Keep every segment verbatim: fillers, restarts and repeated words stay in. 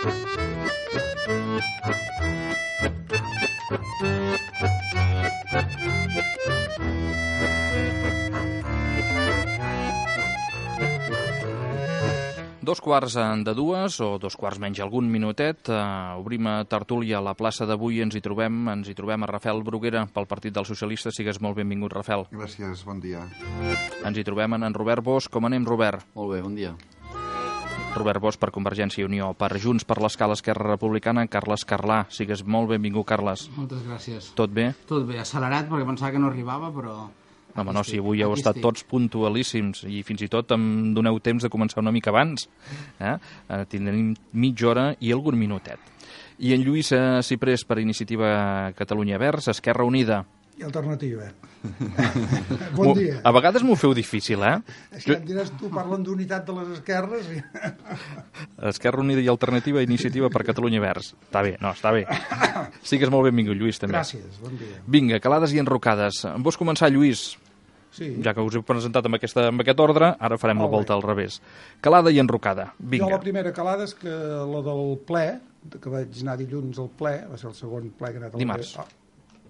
Dos quarts de dues, o dos quarts menys algun minutet, uh, obrim a tertúlia a la plaça d'avui. Ens hi trobem ens hi trobem a Rafael Bruguera, pel Partit dels Socialistes. Sigues molt benvingut, Rafael. Gràcies, bon dia. Ens hi trobem en en Robert Bosch. Com anem, Robert? Molt bé, bon dia. Robert Bosch per Convergència i Unió. Per Junts per l'Escala Esquerra Republicana, Carles Carlà. Sigues molt benvingut, Carles. Moltes gràcies. Tot bé? Tot bé, accelerat perquè pensava que no arribava, però... No, home, no, si avui heu estat tots puntualíssims i fins i tot em doneu temps de començar una mica abans. Eh? Eh, tindrem mitja hora i algun minutet. I en Lluís eh, Ciprés per Iniciativa Catalunya Verds, Esquerra Unida. I Alternativa. Bon dia. A vegades m'ho feu difícil, eh? És que em diràs, tu parlen d'unitat de les esquerres i... Esquerra Unida i Alternativa, Iniciativa per Catalunya Verds. Està bé, no, està bé. Sigues molt benvingut, Lluís, també. Gràcies, bon dia. Vinga, calades i enrocades. Vols començar, Lluís? Sí. Ja que us he presentat amb, aquesta, amb aquest ordre, ara farem Molt la volta bé. al revés. Calada i enrocada. Vinga. Jo la primera calada és que la del ple, que vaig anar dilluns al ple, va ser el segon ple que he anat al Dimarts. ple. Ah,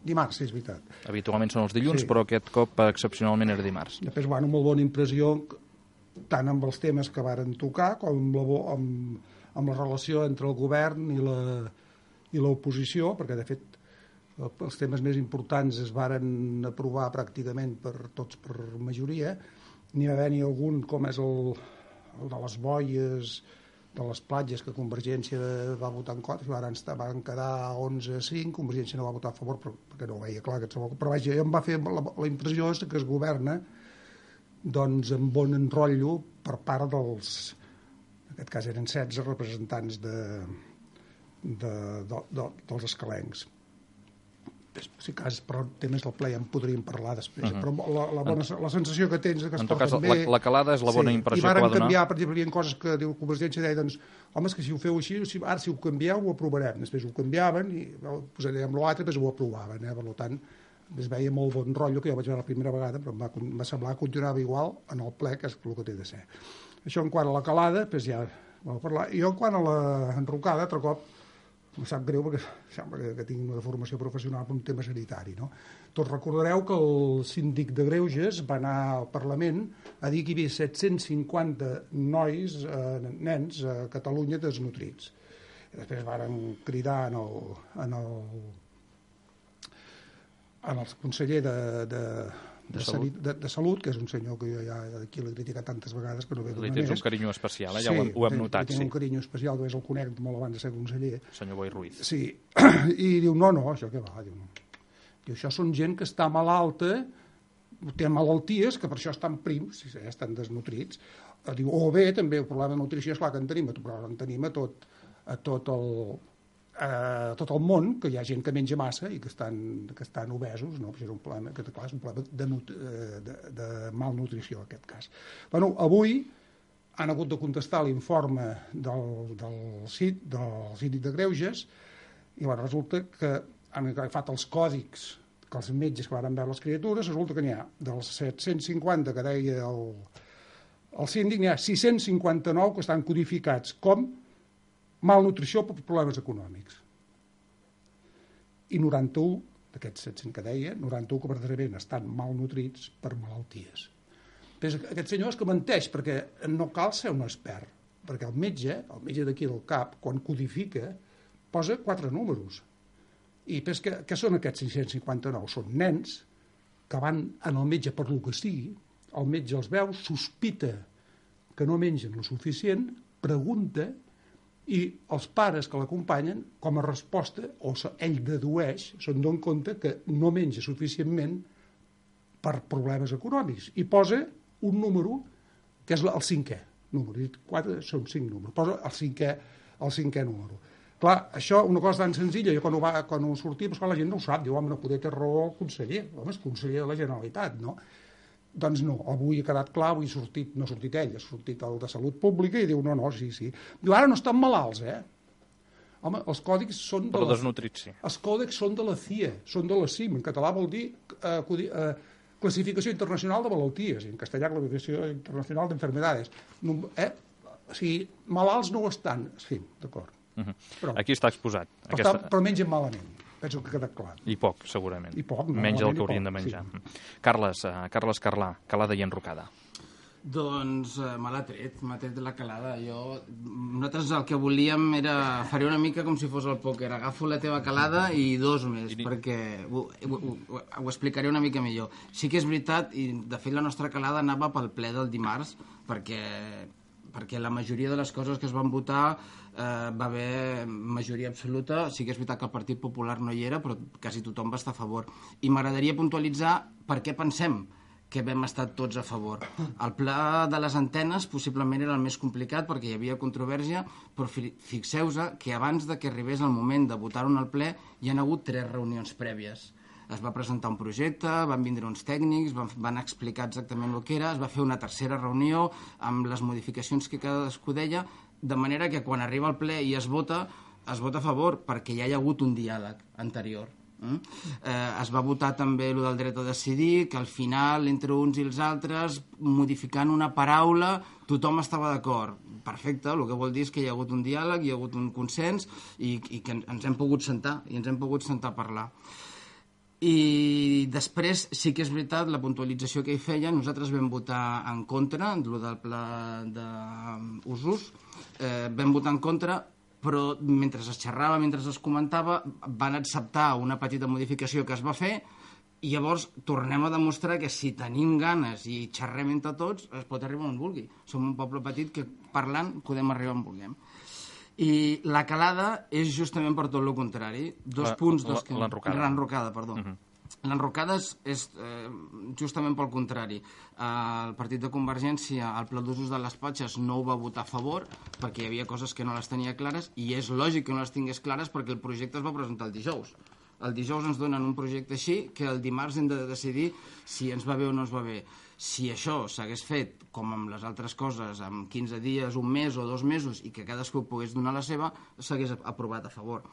dimarts, sí, és veritat. Habitualment són els dilluns, Sí. però aquest cop excepcionalment era dimarts. Després, bueno, molt bona impressió, tant amb els temes que varen tocar, com amb la, bo- amb, amb la relació entre el govern i la i l'oposició, perquè, de fet, els temes més importants es varen aprovar pràcticament per tots per majoria. N'hi va haver-hi algun, com és el, el de les boies, de les platges, que Convergència va votar en contra, van, estar, van quedar onze a cinc, Convergència no va votar a favor perquè no ho veia clar, aquest segon, però vaja, em va fer la, la impressió és que es governa doncs amb bon enrotllo per part dels, en aquest cas eren setze representants de, de, de, de, dels escalencs. Si cas, però temes del ple ja en podríem parlar després, uh-huh. però la, la, bona, la sensació que tens és que es En tot cas, porten la, bé. la calada és la bona Sí, impressió i que varen va donar. canviar, per exemple, hi ha coses que diu Convergència, deia, doncs, home, és que si ho feu així, si, ara si ho canvieu ho aprovarem, després ho canviaven i ho posarem l'altre, després ho aprovaven, eh? Per tant, es veia molt bon rotllo, que jo vaig veure la primera vegada, però em va, em va semblar que continuava igual en el ple, que és el que té de ser. Això en quant a la calada, doncs ja vam parlar. I jo en quant a la enrocada, altre cop, em sap greu perquè sembla que, que tinc una formació professional per un tema sanitari, no? Tots recordareu que el síndic de Greuges va anar al Parlament a dir que hi havia set-cents cinquanta nois, eh, nens, a Catalunya desnutrits. I després varen cridar en el, en el, en el conseller de, de, de, de, salut. De, de Salut, que és un senyor que jo ja aquí l'he criticat tantes vegades que no ve Li d'una tens més. un carinyo especial, eh? Ja Sí, ho, hem- ho hem li- notat, li tinc sí. un carinyo especial, que és el conec molt abans de ser conseller. Senyor Boi Ruiz. Sí, i diu, no, no, això què va? Diu, no. Diu, això són gent que està malalta, té malalties, que per això estan prims, si estan desnutrits. Diu, o bé, també, el problema de nutrició, és clar que en tenim, però en tenim a tot, a tot el... a tot el món, que hi ha gent que menja massa i que estan, que estan obesos, no? Això és un problema, que clar, és un problema de, nut, de, de malnutrició, en aquest cas. Bueno, avui han hagut de contestar l'informe del, del, CID, del Síndic de Greuges i bueno, resulta que han agafat els còdics que els metges que van veure les criatures, resulta que n'hi ha dels set-cents cinquanta que deia el, el síndic, n'hi ha sis-cents cinquanta-nou que estan codificats com malnutrició per problemes econòmics. I noranta-u d'aquests set-cents que deia, noranta-u que verdaderament estan malnutrits per malalties. Però aquest senyor és que menteix, perquè no cal ser un expert, perquè el metge, el metge d'aquí del cap, quan codifica, posa quatre números. I però que, què són aquests sis-cents cinquanta-nou? Són nens que van en el metge per lo que sigui, el metge els veu, sospita que no mengen lo suficient, pregunta, i els pares que l'acompanyen, com a resposta, o ell dedueix, se'n dona compte que no menja suficientment per problemes econòmics, i posa un número que és el cinquè número, quatre són cinc números, posa el cinquè, el cinquè número. Clar, això, una cosa tan senzilla, jo quan ho, va, quan ho sortia, doncs, clar, la gent no ho sap, diu, home, no poder té raó el conseller, home, és conseller de la Generalitat, no? Doncs no, avui ha quedat clar, avui ha sortit, no ha sortit ell, ha sortit el de Salut Pública i diu, no, no, sí, sí. Diu, ara no estan malalts, eh? Home, els còdics són de Però la... desnutrits, sí. Els còdics són de la C I E, són de la C I M, en català vol dir eh, codi- eh, Classificació Internacional de Malalties, i en castellà Classificació Internacional d'Enfermedades. No, eh? O sigui, malalts no ho estan, sí, d'acord. Uh -huh. però, Aquí està exposat. Però, aquesta... està, però mengen malament, penso que ha quedat clar. I poc, segurament. I poc, no, menys el que haurien de menjar. Sí. Carles, uh, Carles Carlà, calada i enrocada. Doncs uh, me l'ha tret, m'ha tret la calada. Jo, nosaltres el que volíem era fer una mica com si fos el pòquer. Agafo la teva calada i dos més, I... perquè ho, ho, ho, ho explicaré una mica millor. Sí que és veritat, i de fet la nostra calada anava pel ple del dimarts, perquè... perquè la majoria de les coses que es van votar eh, va haver majoria absoluta. Sí que és veritat que el Partit Popular no hi era, però quasi tothom va estar a favor. I m'agradaria puntualitzar per què pensem que vam estar tots a favor. El pla de les antenes possiblement era el més complicat perquè hi havia controvèrsia, però fixeu-vos que abans de que arribés el moment de votar-ho en el ple hi han hagut tres reunions prèvies. Es va presentar un projecte, van vindre uns tècnics, van, van explicar exactament el que era, es va fer una tercera reunió amb les modificacions que cadascú deia, de manera que quan arriba al ple i es vota, es vota a favor perquè ja hi ha hagut un diàleg anterior. Mm? Eh, es va votar també el del dret a decidir, que al final, entre uns i els altres, modificant una paraula, tothom estava d'acord. Perfecte, el que vol dir és que hi ha hagut un diàleg, hi ha hagut un consens i, i que ens hem pogut sentar, i ens hem pogut sentar a parlar. I després sí que és veritat la puntualització que hi feia, nosaltres vam votar en contra del pla d'usos, eh, vam votar en contra, però mentre es xerrava, mentre es comentava, van acceptar una petita modificació que es va fer i llavors tornem a demostrar que si tenim ganes i xerrem entre tots es pot arribar on vulgui. Som un poble petit que parlant podem arribar on vulguem. I la calada és justament per tot el contrari. Dos la, punts... Dos que... L'enrocada. L'enrocada, perdó. Uh -huh. L'enrocada és, és eh, justament pel contrari. Eh, el partit de Convergència, el pla d'usos de les platges, no ho va votar a favor perquè hi havia coses que no les tenia clares i és lògic que no les tingués clares perquè el projecte es va presentar el dijous. El dijous ens donen un projecte així que el dimarts hem de decidir si ens va bé o no ens va bé. Si això s'hagués fet, com amb les altres coses, en quinze dies, un mes o dos mesos, i que cadascú pogués donar la seva, s'hagués aprovat a favor.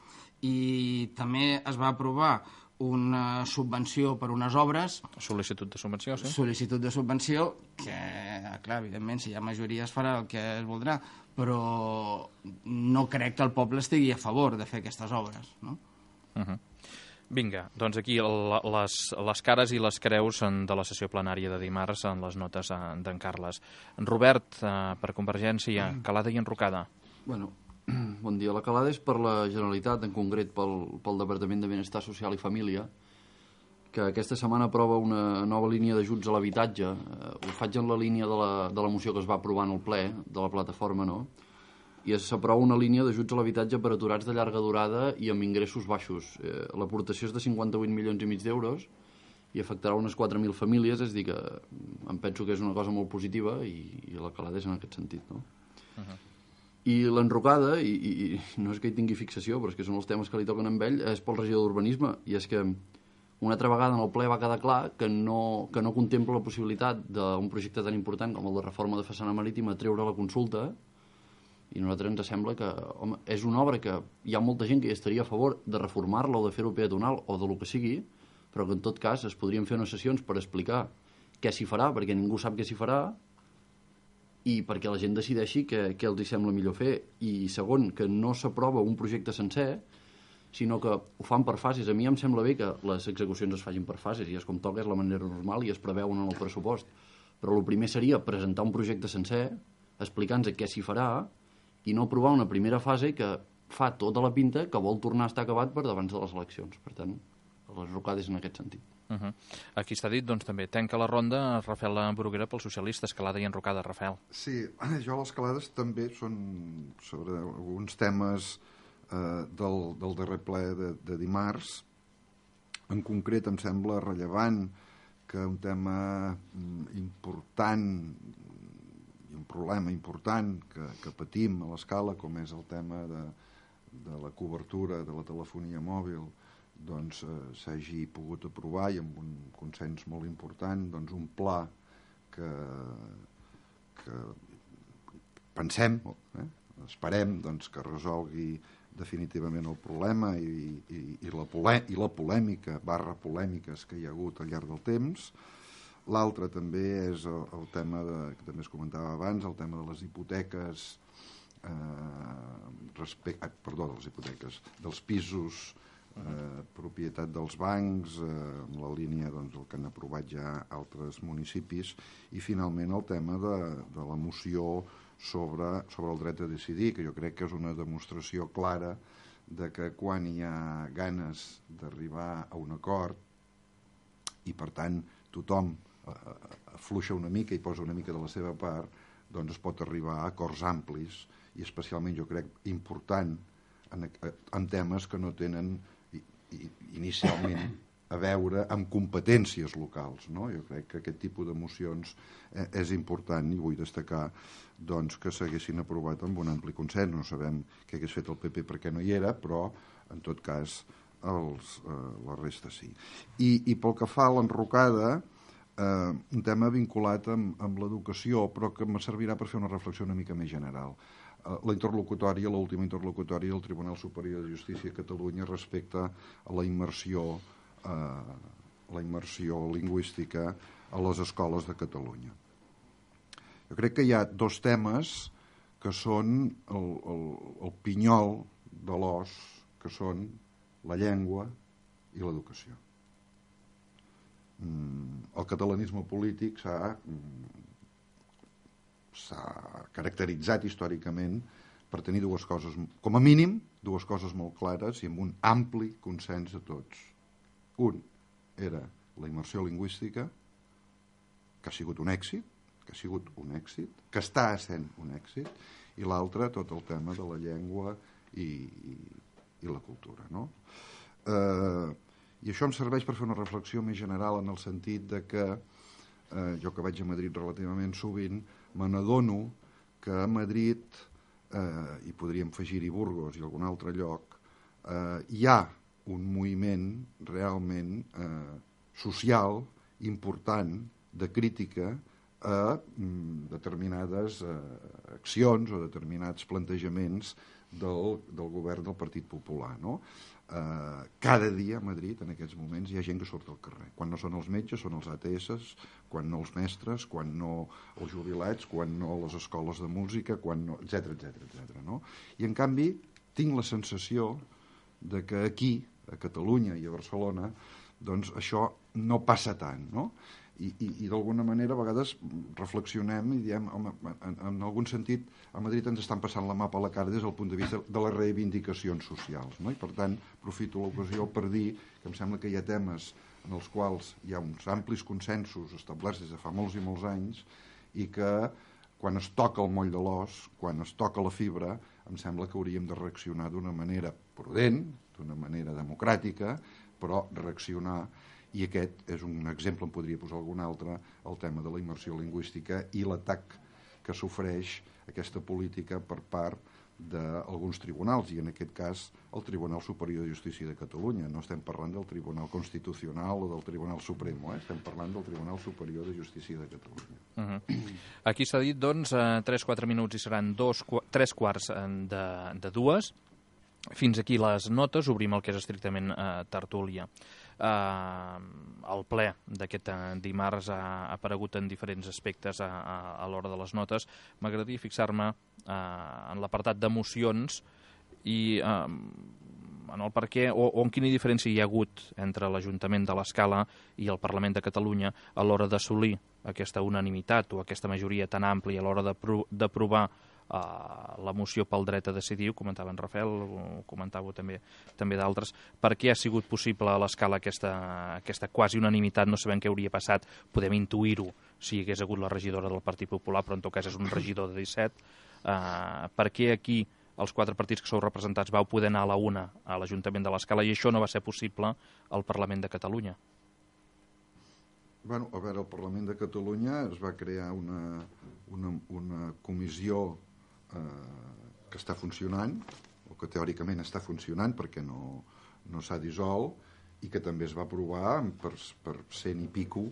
I també es va aprovar una subvenció per unes obres... Sol·licitud de subvenció, sí. Sol·licitud de subvenció, que, clar, evidentment, si hi ha majoria es farà el que es voldrà, però no crec que el poble estigui a favor de fer aquestes obres, no? Uh -huh. Vinga, doncs aquí les, les cares i les creus de la sessió plenària de dimarts en les notes d'en Carles. Robert, per Convergència, calada i enrocada. Bueno, bon dia. La calada és per la Generalitat, en concret pel, pel Departament de Benestar Social i Família, que aquesta setmana aprova una nova línia d'ajuts a l'habitatge. Ho faig en la línia de la, de la moció que es va aprovar en el ple, de la plataforma, no?, i s'aprova una línia d'ajuts a l'habitatge per aturats de llarga durada i amb ingressos baixos. Eh, L'aportació és de cinquanta-vuit milions i mig d'euros i afectarà unes quatre mil famílies, és a dir que em penso que és una cosa molt positiva i, i la calada és en aquest sentit, no? Uh-huh. I l'enrocada, i, i, i no és que hi tingui fixació, però és que són els temes que li toquen a ell, és pel regidor d'Urbanisme, i és que una altra vegada en el ple va quedar clar que no, que no contempla la possibilitat d'un projecte tan important com el de reforma de façana marítima treure la consulta. I a nosaltres ens sembla que, home, és una obra que hi ha molta gent que hi estaria a favor de reformar-la o de fer-ho peatonal o de lo que sigui, però que en tot cas es podrien fer unes sessions per explicar què s'hi farà, perquè ningú sap què s'hi farà, i perquè la gent decideixi què, què els hi sembla millor fer. I segon, que no s'aprova un projecte sencer, sinó que ho fan per fases. A mi em sembla bé que les execucions es facin per fases, i és com toca, és la manera normal i es preveuen en el pressupost. Però el primer seria presentar un projecte sencer, explicant-nos què s'hi farà, i no aprovar una primera fase que fa tota la pinta que vol tornar a estar acabat per davant de les eleccions. Per tant, les rocades en aquest sentit. Uh -huh. Aquí està dit, doncs, també. Tanca la ronda Rafael Bruguera pels socialistes, calada i enrocada. Rafael. Sí, jo les calades també són sobre alguns temes eh, del, del darrer ple de, de dimarts. En concret, em sembla rellevant que un tema important, un problema important que, que patim a l'escala, com és el tema de, de la cobertura de la telefonia mòbil, doncs eh, s'hagi pogut aprovar i amb un consens molt important, doncs un pla que, que pensem, eh, esperem doncs, que resolgui definitivament el problema i, i, i, la polè, i la polèmica, barra polèmiques que hi ha hagut al llarg del temps. L'altre també és el, el tema de, que també es comentava abans, el tema de les hipoteques eh, respecte, ah, perdó, de les hipoteques, dels pisos, eh, propietat dels bancs, eh, en la línia doncs, del que han aprovat ja altres municipis, i finalment el tema de, de la moció sobre, sobre el dret a decidir, que jo crec que és una demostració clara de que quan hi ha ganes d'arribar a un acord i per tant tothom afluixa una mica i posa una mica de la seva part, doncs es pot arribar a acords amplis i especialment jo crec important en, en temes que no tenen inicialment a veure amb competències locals, no? Jo crec que aquest tipus de mocions és important i vull destacar doncs, que s'haguessin aprovat amb un ampli consens. No sabem què hagués fet el P P perquè no hi era, però en tot cas els, eh, la resta sí. I, i pel que fa a l'enrocada, eh, un tema vinculat amb, amb l'educació, però que me servirà per fer una reflexió una mica més general. Eh, la interlocutòria, l'última interlocutòria del Tribunal Superior de Justícia de Catalunya respecte a la immersió eh, la immersió lingüística a les escoles de Catalunya. Jo crec que hi ha dos temes que són el, el, el pinyol de l'os, que són la llengua i l'educació. Mm, el catalanisme polític s'ha s'ha caracteritzat històricament per tenir dues coses, com a mínim, dues coses molt clares i amb un ampli consens de tots. Un era la immersió lingüística, que ha sigut un èxit, que ha sigut un èxit, que està sent un èxit, i l'altre tot el tema de la llengua i, i, i la cultura, no? Eh, I això em serveix per fer una reflexió més general en el sentit de que eh, jo que vaig a Madrid relativament sovint, me n'adono que a Madrid, eh, i podríem afegir-hi Burgos i algun altre lloc, eh, hi ha un moviment realment eh, social important de crítica a mm, determinades eh, accions o determinats plantejaments del, del govern del Partit Popular, no? Eh, cada dia a Madrid en aquests moments hi ha gent que surt al carrer. Quan no són els metges són els A T S, quan no els mestres, quan no els jubilats, quan no les escoles de música, quan no, etcètera, etcètera, etcètera, no? I en canvi tinc la sensació de que aquí, a Catalunya i a Barcelona, doncs això no passa tant, no? I, i, i d'alguna manera a vegades reflexionem i diem, home, en, en algun sentit a Madrid ens estan passant la mà per la cara des del punt de vista de les reivindicacions socials, no? I per tant aprofito l'ocasió per dir que em sembla que hi ha temes en els quals hi ha uns amplis consensos establerts des de fa molts i molts anys i que quan es toca el moll de l'os, quan es toca la fibra, em sembla que hauríem de reaccionar d'una manera prudent, d'una manera democràtica, però reaccionar. I aquest és un exemple, en podria posar algun altre, el tema de la immersió lingüística i l'atac que sofreix aquesta política per part d'alguns tribunals, i en aquest cas el Tribunal Superior de Justícia de Catalunya. No estem parlant del Tribunal Constitucional o del Tribunal Supremo, eh? Estem parlant del Tribunal Superior de Justícia de Catalunya. Uh-huh. Aquí s'ha dit, doncs, tres quatre minuts i seran dos, tres quarts de, de dues. Fins aquí les notes, obrim el que és estrictament eh, tertúlia. Eh, el ple d'aquest dimarts ha aparegut en diferents aspectes a, a, a l'hora de les notes. M'agradaria fixar-me eh, en l'apartat d'emocions i eh, en el per què o, o en quina diferència hi ha hagut entre l'Ajuntament de l'Escala i el Parlament de Catalunya a l'hora d'assolir aquesta unanimitat o aquesta majoria tan àmplia a l'hora d'aprovar Uh, la moció pel dret a decidir, ho comentava en Rafael, ho comentava també, també d'altres. Per què ha sigut possible a l'Escala aquesta, aquesta quasi unanimitat? No sabem què hauria passat, podem intuir-ho si hi hagués hagut la regidora del Partit Popular, però en tot cas és un regidor de disset. Uh, per què aquí els quatre partits que sou representats vau poder anar a la una a l'Ajuntament de l'Escala i això no va ser possible al Parlament de Catalunya? Bueno, a veure, al Parlament de Catalunya es va crear una, una, una comissió Eh, que està funcionant, o que teòricament està funcionant perquè no, no s'ha dissolt i que també es va aprovar per, per cent i pico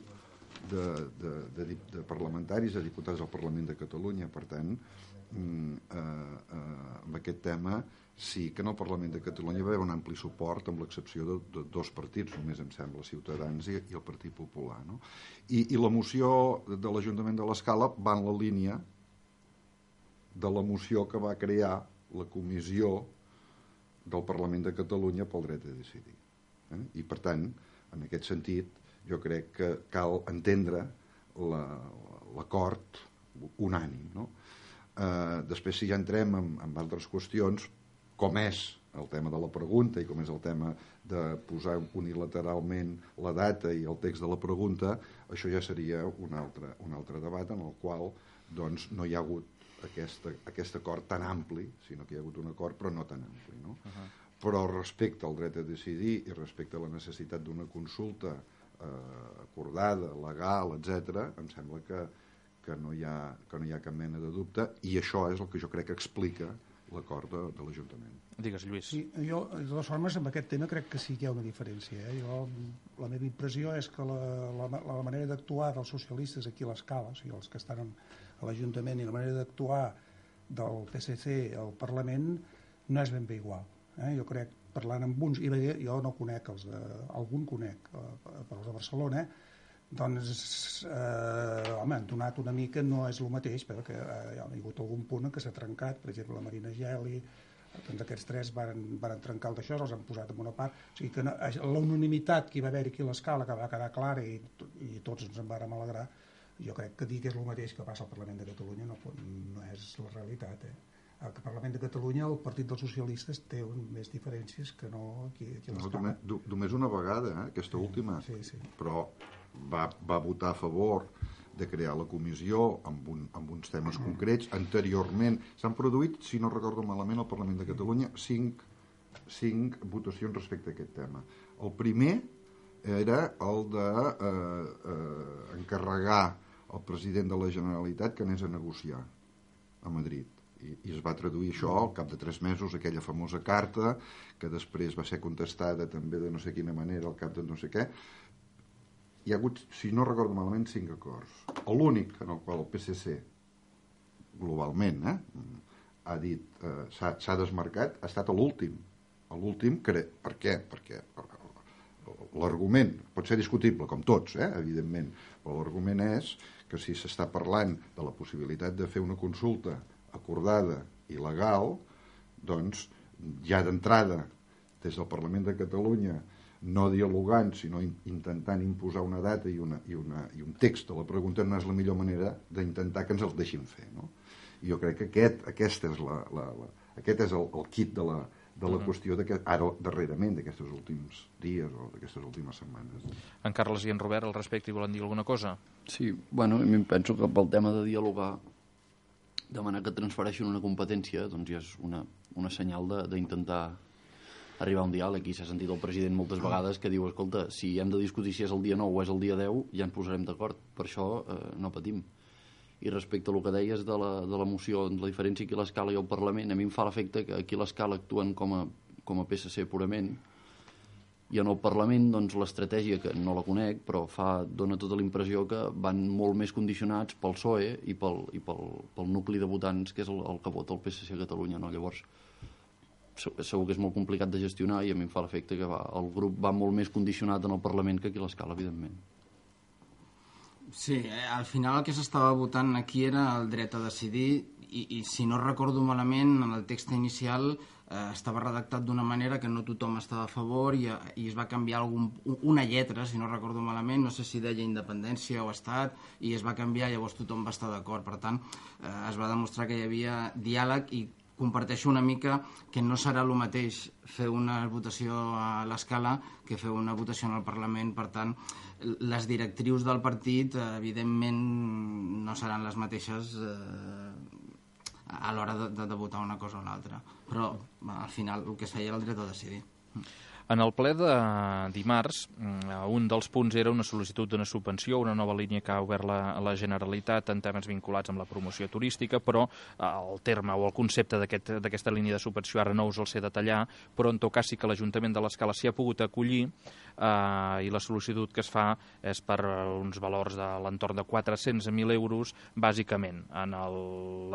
de, de, de, de parlamentaris, de diputats del Parlament de Catalunya. Per tant, eh, eh, amb aquest tema sí que en el Parlament de Catalunya va haver un ampli suport, amb l'excepció de, de dos partits, només em sembla, Ciutadans i, i el Partit Popular, no? I, i la moció de l'Ajuntament de l'Escala va en la línia de la moció que va crear la Comissió del Parlament de Catalunya pel dret a decidir. Eh? I, per tant, en aquest sentit, jo crec que cal entendre l'acord unànim. No? Eh, després, si ja entrem en, en altres qüestions, com és el tema de la pregunta i com és el tema de posar unilateralment la data i el text de la pregunta, això ja seria un altre, un altre debat en el qual doncs, no hi ha hagut aquesta, aquest acord tan ampli, sinó que hi ha hagut un acord però no tan ampli. No? Uh-huh. Però respecte al dret a decidir i respecte a la necessitat d'una consulta eh, acordada, legal, etcètera, em sembla que, que, no hi ha, que no hi ha cap mena de dubte, i això és el que jo crec que explica l'acord de, de l'Ajuntament. Digues, Lluís. Sí, jo, de totes formes, amb aquest tema crec que sí que hi ha una diferència. Eh? Jo, la meva impressió és que la, la, la manera d'actuar dels socialistes aquí a l'escala, o sigui, els que estan a l'Ajuntament, i la manera d'actuar del P S C al Parlament no és ben bé igual. Eh? Jo crec, parlant amb uns, i jo no conec els de, algun conec, però els de Barcelona, doncs, eh, home, han donat una mica, no és el mateix, però que eh, hi ha hagut algun punt en què s'ha trencat, per exemple, la Marina Geli, doncs aquests tres van, van trencar el d'això, els han posat en una part, o sigui que no, la unanimitat que hi va haver aquí a l'escala, que va quedar clara i, i tots ens en vàrem alegrar, jo crec que dir que és el mateix que passa al Parlament de Catalunya no, no és la realitat. Eh? Al Parlament de Catalunya el Partit dels Socialistes té un, més diferències que no aquí, aquí a l'escala. No, només una vegada, eh, aquesta sí, última, sí, sí. Però va, va votar a favor de crear la comissió amb, un, amb uns temes mm. concrets. Anteriorment s'han produït, si no recordo malament, al Parlament de Catalunya cinc, cinc votacions respecte a aquest tema. El primer era el de eh, eh, encarregar al president de la Generalitat que anés a negociar a Madrid. I, i es va traduir això al cap de tres mesos, aquella famosa carta que després va ser contestada també de no sé quina manera al cap de no sé què. Hi ha hagut, si no recordo malament, cinc acords. L'únic en el qual el P S C globalment eh, ha dit, eh, s'ha desmarcat, ha estat l'últim. L'últim, per què? Perquè l'argument pot ser discutible, com tots, eh, evidentment, però l'argument és que si s'està parlant de la possibilitat de fer una consulta acordada i legal, doncs ja d'entrada des del Parlament de Catalunya no dialogant, sinó intentant imposar una data i, una, i, una, i un text de la pregunta no és la millor manera d'intentar que ens el deixin fer. No? I jo crec que aquest, aquest és, la, la, la, aquest és el, el kit de la, de la uh-huh. qüestió ara darrerament d'aquests últims dies o d'aquestes últimes setmanes. En Carles i en Robert al respecte hi volen dir alguna cosa? Sí, bueno, a mi em penso que pel tema de dialogar, demanar que transfereixin una competència doncs ja és una, una senyal d'intentar arribar a un diàleg. I s'ha sentit el president moltes vegades que diu, escolta, si hem de discutir si és el dia nou o és el dia deu, ja ens posarem d'acord, per això eh, no patim. I respecte a el que deies de la, de la moció, la diferència aquí a l'escala i al Parlament, a mi em fa l'efecte que aquí a l'escala actuen com a, com a P S C purament, i en el Parlament doncs, l'estratègia, que no la conec, però fa, dona tota la impressió que van molt més condicionats pel P S O E i pel, i pel, pel nucli de votants, que és el, el que vota el P S C a Catalunya. No? Llavors, segur que és molt complicat de gestionar i a mi em fa l'efecte que va, el grup va molt més condicionat en el Parlament que aquí a l'escala, evidentment. Sí, eh, al final el que s'estava votant aquí era el dret a decidir i, i si no recordo malament, en el text inicial eh, estava redactat d'una manera que no tothom estava a favor i, i es va canviar algun, una lletra, si no recordo malament, no sé si deia independència o estat, i es va canviar, llavors tothom va estar d'acord. Per tant, eh, es va demostrar que hi havia diàleg i comparteixo una mica que no serà el mateix fer una votació a l'escala que fer una votació en el Parlament. Per tant, les directrius del partit, eh, evidentment, no seran les mateixes eh, a l'hora de, de, de votar una cosa o una altra. Però, al final, el que es feia era el dret a decidir. En el ple de dimarts, un dels punts era una sol·licitud d'una subvenció, una nova línia que ha obert la, la Generalitat en temes vinculats amb la promoció turística, però el terme o el concepte d'aquesta aquest, línia de subvenció ara no us el sé detallar, però en tot cas sí que l'Ajuntament de l'Escala s'hi ha pogut acollir eh, i la sol·licitud que es fa és per uns valors de l'entorn de quatre-cents mil euros, bàsicament en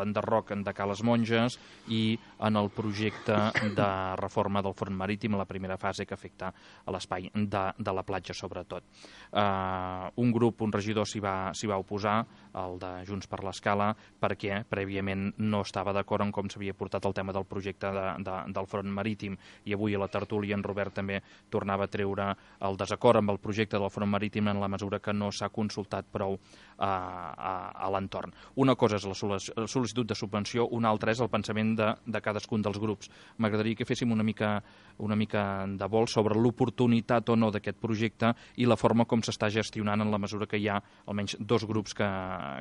l'enderroc de Ca les Monges i en el projecte de reforma del front marítim, la primera fase base que afecta a l'espai de, de la platja, sobretot. Uh, un grup, un regidor s'hi va, s'hi va oposar, el de Junts per l'Escala, perquè prèviament no estava d'acord en com s'havia portat el tema del projecte de, de, del front marítim, i avui a la tertúlia en Robert també tornava a treure el desacord amb el projecte del front marítim en la mesura que no s'ha consultat prou a, a, a l'entorn. Una cosa és la sol·licitud de subvenció, una altra és el pensament de, de cadascun dels grups. M'agradaria que féssim una mica, una mica de vol sobre l'oportunitat o no d'aquest projecte i la forma com s'està gestionant en la mesura que hi ha almenys dos grups que,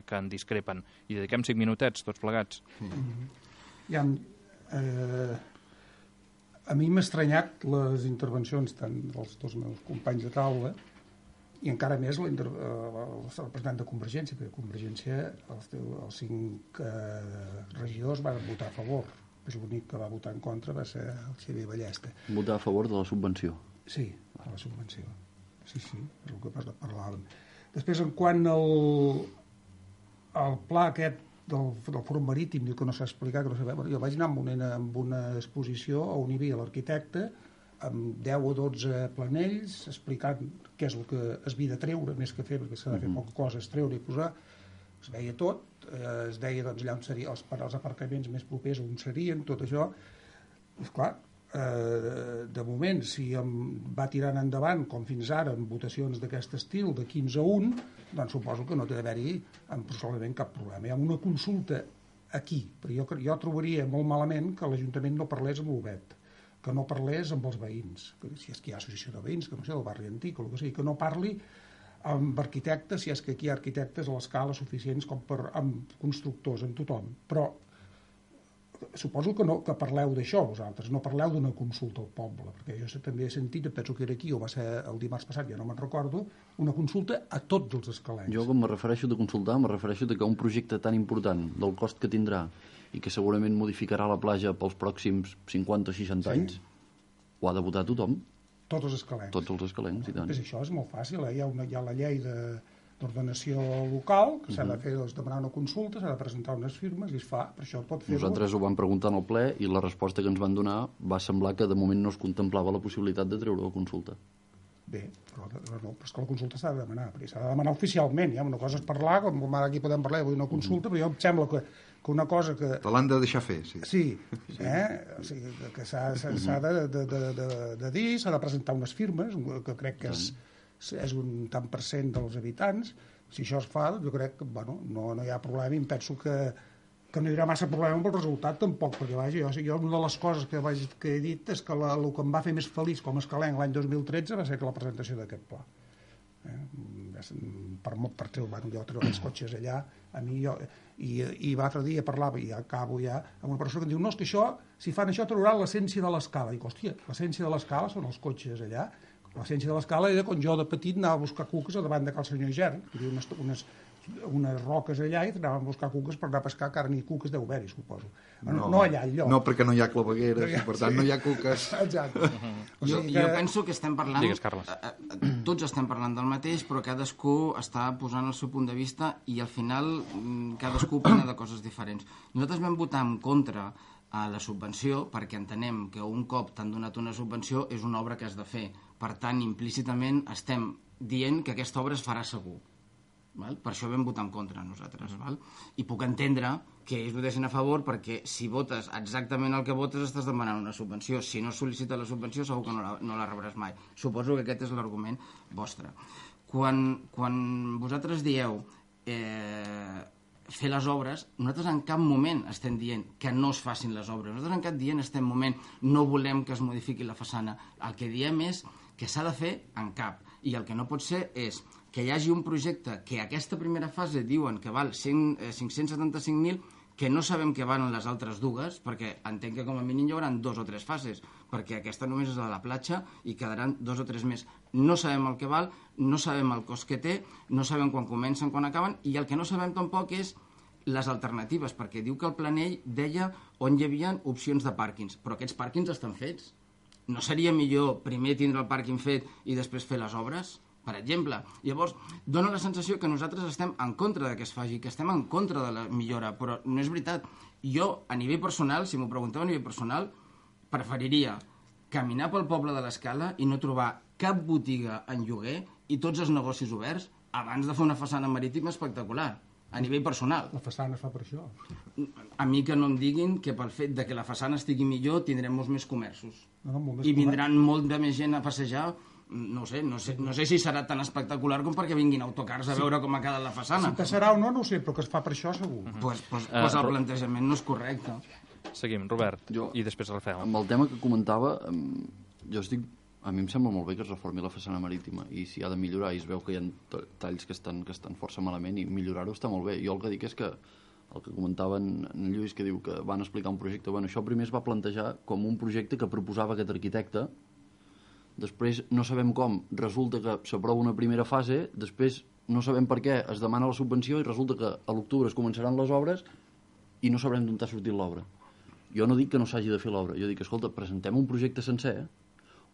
que en discrepen. I dediquem cinc minutets, tots plegats. Mm-hmm. Ja, eh, a mi m'ha estranyat les intervencions tant dels dos meus companys de taula i encara més la inter... el representant de Convergència, perquè Convergència, els, els cinc eh, regidors van votar a favor. L'únic que va votar en contra va ser el Xavier Ballesta. Votar a favor de la subvenció? Sí, de la subvenció. Sí, sí, és el que parlàvem. Després, en quant al, al pla aquest del, del Fòrum Marítim, diu que no s'ha explicat, que no sabem. Jo vaig anar amb una, amb una exposició on hi havia l'arquitecte amb deu o dotze planells explicant què és el que es havia de treure, més que fer, perquè s'ha de fer poca cosa, és treure i posar. Es veia tot, eh, es deia doncs, allà on serien els, els aparcaments més propers on serien, tot això. És clar, eh, de moment, si em va tirant endavant, com fins ara, amb votacions d'aquest estil, de quinze a un, doncs suposo que no té d'haver-hi absolutament cap problema. Hi ha una consulta aquí, però jo, jo trobaria molt malament que l'Ajuntament no parlés amb l'Obet, que no parlés amb els veïns, que si és que hi ha associació de veïns, que no sé, del barri antic o el que sigui, que no parli amb arquitectes, si és que aquí hi ha arquitectes a l'escala suficients com per, amb constructors, amb tothom. Però suposo que, no, que parleu d'això vosaltres, no parleu d'una consulta al poble, perquè jo també he sentit, penso que era aquí o va ser el dimarts passat, ja no me'n recordo, una consulta a tots els escalencs. Jo quan me refereixo de consultar, me refereixo de que un projecte tan important, del cost que tindrà i que segurament modificarà la platja pels pròxims cinquanta o seixanta sí. anys, ho ha de votar tothom. Tots els escalencs. Tots els escalencs, i tant. Pues això és molt fàcil, eh? hi, ha una, hi ha la llei de d'ordenació local, que s'ha de fer, doncs, demanar una consulta, s'ha de presentar unes firmes i es fa, per això pot fer-ho. Nosaltres ho vam preguntar en el ple i la resposta que ens van donar va semblar que de moment no es contemplava la possibilitat de treure la consulta. Bé, però, però no, però és que la consulta s'ha de demanar, perquè s'ha de demanar oficialment, ja, una cosa és parlar, com ara aquí podem parlar d'una consulta, però jo em sembla que, que una cosa que... Te l'han de deixar fer, sí. Sí, eh? O sigui, que s'ha de, de, de, de, de dir, s'ha de presentar unes firmes, que crec que és, és un tant per cent dels habitants. Si això es fa, jo crec que bueno, no, no hi ha problema i em penso que, que no hi haurà massa problema amb el resultat tampoc, perquè vaja, jo, jo una de les coses que, vaig, que he dit és que la, el que em va fer més feliç com a escalenc l'any dos mil tretze va ser que la presentació d'aquest pla. Eh? Per, per treure, bueno, jo treure els cotxes allà, a mi jo, i, i l'altre dia parlava, i acabo ja, amb una persona que em diu, no, és que això, si fan això trauran l'essència de l'escala. I dic, hòstia, l'essència de l'escala són els cotxes allà. L'essència de l'escala era quan jo de petit anava a buscar cuques a davant de cal senyor Gern, hi havia unes, unes, unes roques allà i anàvem a buscar cuques per anar a pescar, que ara ni cuques deu haver-hi, suposo. No, no allà, enlloc. No, perquè no hi ha clavegueres, i per tant sí. no hi ha cuques. Exacte. Uh -huh. o sigui jo, que... jo penso que estem parlant... Digues, Carles. Tots estem parlant del mateix, però cadascú està posant el seu punt de vista i al final cadascú opina de coses diferents. Nosaltres vam votar en contra a la subvenció perquè entenem que un cop t'han donat una subvenció és una obra que has de fer. Per tant, implícitament estem dient que aquesta obra es farà segur. Val? Per això vam votar en contra nosaltres. Val? I puc entendre que ells votessin a favor perquè si votes exactament el que votes estàs demanant una subvenció. Si no sol·licites la subvenció segur que no la, no la rebràs mai. Suposo que aquest és l'argument vostre. Quan, quan vosaltres dieu eh, fer les obres, nosaltres en cap moment estem dient que no es facin les obres. Nosaltres en cap dient estem moment no volem que es modifiqui la façana. El que diem és que s'ha de fer en cap. I el que no pot ser és que hi hagi un projecte que aquesta primera fase diuen que val cinc-cents setanta-cinc mil, que no sabem què van les altres dues, perquè entenc que com a mínim hi haurà dos o tres fases, perquè aquesta només és la de la platja i quedaran dos o tres més. No sabem el que val, no sabem el cost que té, no sabem quan comencen, quan acaben, i el que no sabem tampoc és les alternatives, perquè diu que el planell deia on hi havia opcions de pàrquings, però aquests pàrquings estan fets. No seria millor primer tindre el pàrquing fet i després fer les obres? Per exemple. Llavors, dona la sensació que nosaltres estem en contra de que es faci, que estem en contra de la millora, però no és veritat. Jo, a nivell personal, si m'ho pregunteu a nivell personal, preferiria caminar pel poble de l'Escala i no trobar cap botiga en lloguer i tots els negocis oberts abans de fer una façana marítima espectacular, a nivell personal. La façana es fa per això. A mi que no em diguin que pel fet de que la façana estigui millor tindrem molts més comerços. No, no, molt més I comerç. vindran molt de més gent a passejar. No sé, no sé, no sé si serà tan espectacular com perquè vinguin autocars a veure com ha quedat la façana. Si passarà o no, no ho sé, però que es fa per això segur. Doncs pues, pues, pues el plantejament no és correcte. Seguim, Robert, Jo, i després Rafael. Amb el tema que comentava, jo estic... A mi em sembla molt bé que es reformi la façana marítima i si ha de millorar i es veu que hi ha talls que estan, que estan força malament i millorar-ho està molt bé. Jo el que dic és que el que comentava en, en Lluís, que diu que van explicar un projecte, bueno, això primer es va plantejar com un projecte que proposava aquest arquitecte, després no sabem com, resulta que s'aprova una primera fase, després no sabem per què es demana la subvenció i resulta que a l'octubre es començaran les obres i no sabrem d'on ha sortit l'obra. Jo no dic que no s'hagi de fer l'obra, jo dic, escolta, presentem un projecte sencer,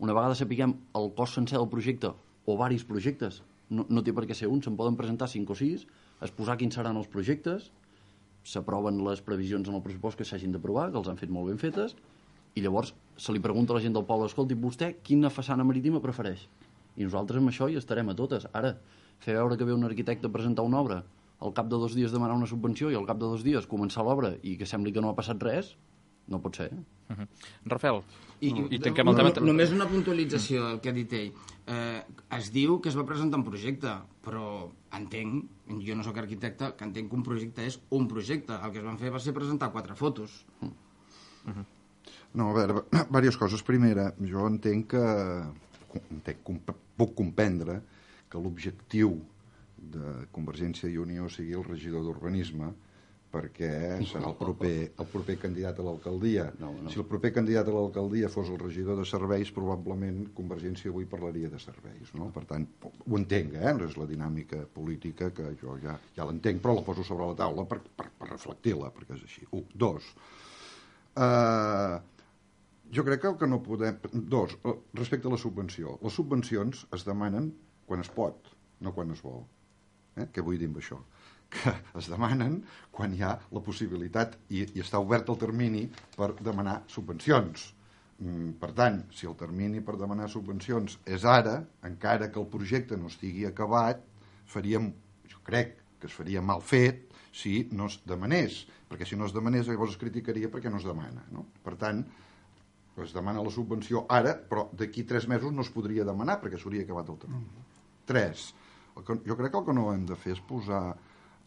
una vegada sapiguem el cost sencer del projecte o varis projectes, no, no té per què ser un, se'n poden presentar cinc o sis, exposar quins seran els projectes, s'aproven les previsions en el pressupost que s'hagin d'aprovar, que els han fet molt ben fetes, i llavors se li pregunta a la gent del poble, escolti, vostè quina façana marítima prefereix? I nosaltres amb això hi estarem a totes. Ara, fer veure que ve un arquitecte a presentar una obra, al cap de dos dies demanar una subvenció i al cap de dos dies començar l'obra i que sembli que no ha passat res, no pot ser. Uh -huh. Rafael, I, i tanquem el tema... No, només una puntualització, el que ha dit ell. Eh, es diu que es va presentar un projecte, però entenc, jo no sóc arquitecte, que entenc que un projecte és un projecte. El que es van fer va ser presentar quatre fotos. Uh -huh. No, a veure, diverses coses. Primera, jo entenc que... Entenc, puc comprendre que l'objectiu de Convergència i Unió sigui el regidor d'Urbanisme, perquè serà el proper, el proper candidat a l'alcaldia. No, no. Si el proper candidat a l'alcaldia fos el regidor de serveis, probablement Convergència avui parlaria de serveis, no? Per tant, ho entenc, eh? No és la dinàmica política que jo ja, ja l'entenc, però la poso sobre la taula per, per, per reflectir-la, perquè és així. Un. Dos. Uh, jo crec que el que no podem... Dos, respecte a la subvenció. Les subvencions es demanen quan es pot, no quan es vol. Eh? Què vull dir amb això? Que es demanen quan hi ha la possibilitat i, i està obert el termini per demanar subvencions. Mm, per tant, si el termini per demanar subvencions és ara, encara que el projecte no estigui acabat, faríem, jo crec que es faria mal fet si no es demanés, perquè si no es demanés llavors es criticaria perquè no es demana, no? Per tant, es demana la subvenció ara, però d'aquí tres mesos no es podria demanar perquè s'hauria acabat el termini. Mm. Tres, el que, jo crec que el que no hem de fer és posar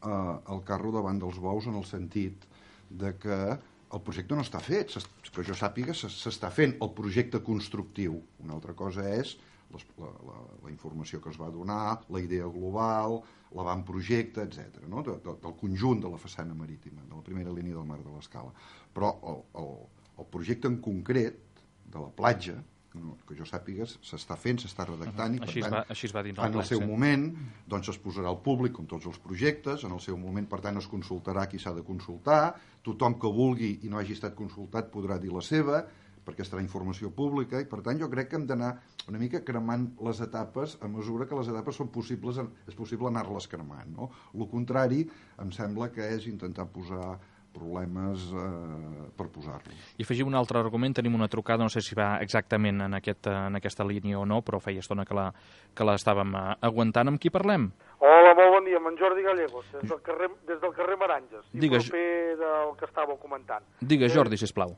Uh, el carro davant dels bous en el sentit de que el projecte no està fet, que jo sàpiga s'està fent el projecte constructiu. Una altra cosa és les, la, la, la informació que es va donar, la idea global, l'avantprojecte, etcètera, no? de, de, del conjunt de la façana marítima, de la primera línia del mar de l'Escala. Però el, el, el projecte en concret de la platja, no, que jo sàpiga, s'està fent, s'està redactant, uh -huh. i per així tant, es va, així es va dir en el seu moment doncs es posarà al públic com tots els projectes, en el seu moment, per tant, es consultarà qui s'ha de consultar, tothom que vulgui i no hagi estat consultat podrà dir la seva, perquè estarà informació pública, i per tant jo crec que hem d'anar una mica cremant les etapes a mesura que les etapes són possibles, és possible anar-les cremant, no? El contrari em sembla que és intentar posar problemes eh, per posar-los. I afegim un altre argument, tenim una trucada, no sé si va exactament en, aquest, en aquesta línia o no, però feia estona que la, que l'estàvem aguantant. Amb qui parlem? Hola, molt bon dia, amb en Jordi Gallegos, des del carrer, des del carrer Maranges, i Digues... proper del que estàveu comentant. Digues, Jordi, eh, sisplau.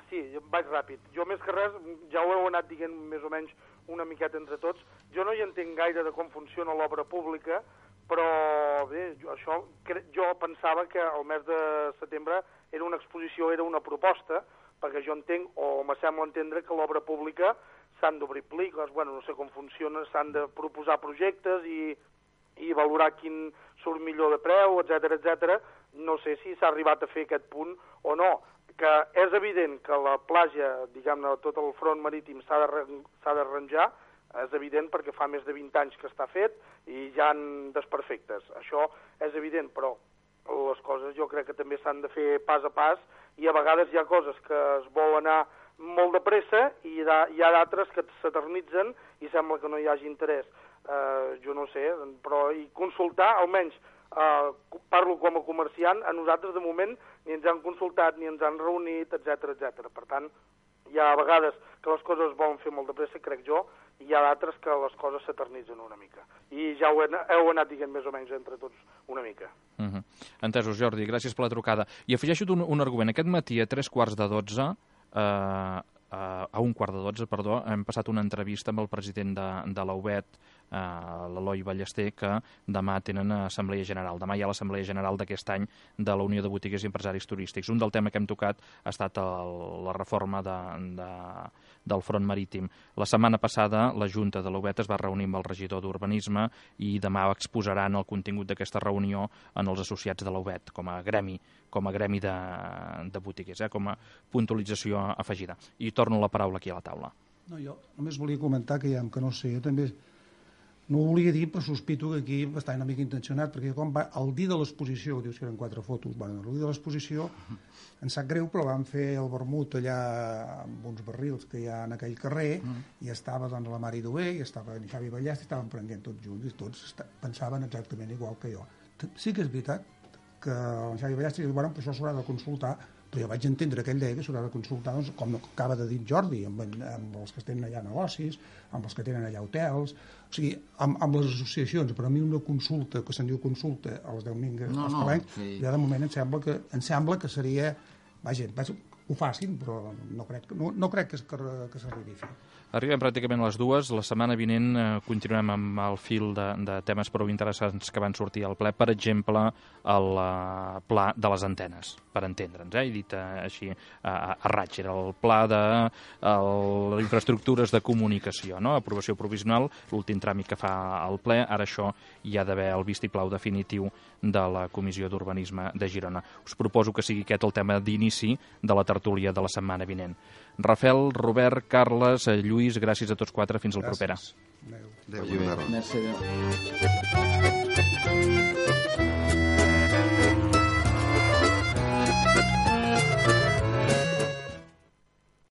Sí, vaig ràpid. Jo, més que res, ja ho heu anat dient més o menys una miqueta entre tots. Jo no hi entenc gaire de com funciona l'obra pública, però bé, jo, això, jo pensava que el mes de setembre era una exposició, era una proposta, perquè jo entenc, o me sembla entendre, que l'obra pública s'han d'obrir pliques, bueno, no sé com funciona, s'han de proposar projectes i, i valorar quin surt millor de preu, etcètera, etcètera. No sé si s'ha arribat a fer aquest punt o no, que és evident que la platja, diguem-ne, tot el front marítim s'ha d'arranjar, és evident perquè fa més de vint anys que està fet i hi ha desperfectes. Això és evident, però les coses jo crec que també s'han de fer pas a pas i a vegades hi ha coses que es vol anar molt de pressa i hi ha d'altres que s'eternitzen i sembla que no hi hagi interès. Uh, jo no sé, però i consultar, almenys, uh, parlo com a comerciant, a nosaltres de moment ni ens han consultat, ni ens han reunit, etcètera, etcètera. Per tant, Hi ha vegades que les coses es volen fer molt de pressa, crec jo, i hi ha d'altres que les coses s'eternitzen una mica. I ja ho he, heu anat dient més o menys entre tots una mica. Uh -huh. Entesos, Jordi, gràcies per la trucada. I afegeixo un, un argument. Aquest matí a tres quarts de dotze, eh, a un quart de dotze, perdó, hem passat una entrevista amb el president de, de l'A U B E T, eh, l'Eloi Ballester, que demà tenen assemblea general. Demà hi ha l'assemblea general d'aquest any de la Unió de Botiguers i Empresaris Turístics. Un del tema que hem tocat ha estat el, la reforma de, de, del front marítim. La setmana passada la Junta de l'A U B E T es va reunir amb el regidor d'Urbanisme i demà exposaran el contingut d'aquesta reunió en els associats de l'A U B E T com a gremi, com a gremi de, de botiguers, eh, com a puntualització afegida. I torno la paraula aquí a la taula. No, jo només volia comentar que, ja, que no sé, jo també no ho volia dir, però sospito que aquí va estar una mica intencionat, perquè quan va, el dia de l'exposició, dius que eren quatre fotos, bueno, el dia de l'exposició, em sap greu, però van fer el vermut allà amb uns barrils que hi ha en aquell carrer, mm. i estava doncs, la Mari Dué, i estava en Xavi Ballester, i estaven prenent tots junts, i tots pensaven exactament igual que jo. Sí que és veritat que el Xavi Ballester diu, bueno, però això s'haurà de consultar, però jo vaig entendre aquell dia que s'haurà de consultar, doncs, com acaba de dir Jordi, amb, amb els que tenen allà negocis, amb els que tenen allà hotels, o sigui, amb, amb les associacions. Per a mi una consulta, que se'n diu consulta a les deu mingues, no, als no, Palencs, sí. ja de moment em sembla que, em sembla que seria, vaja, ho facin, però no crec, no, no crec que, que, que s'arribi a fer. Arribem pràcticament a les dues. La setmana vinent eh, continuem amb el fil de, de temes prou interessants que van sortir al ple. Per exemple, el uh, pla de les antenes, per entendre'ns, eh? He dit uh, així uh, a raig. Era el pla de uh, les infraestructures de comunicació, no? Aprovació provisional, l'últim tràmit que fa el ple. Ara això hi ha d'haver el vistiplau definitiu de la Comissió d'Urbanisme de Girona. Us proposo que sigui aquest el tema d'inici de la tertúlia de la setmana vinent. Rafael, Robert, Carles, Lluís, gràcies a tots quatre. Fins al proper. Adéu. Adéu. Merci. Adéu.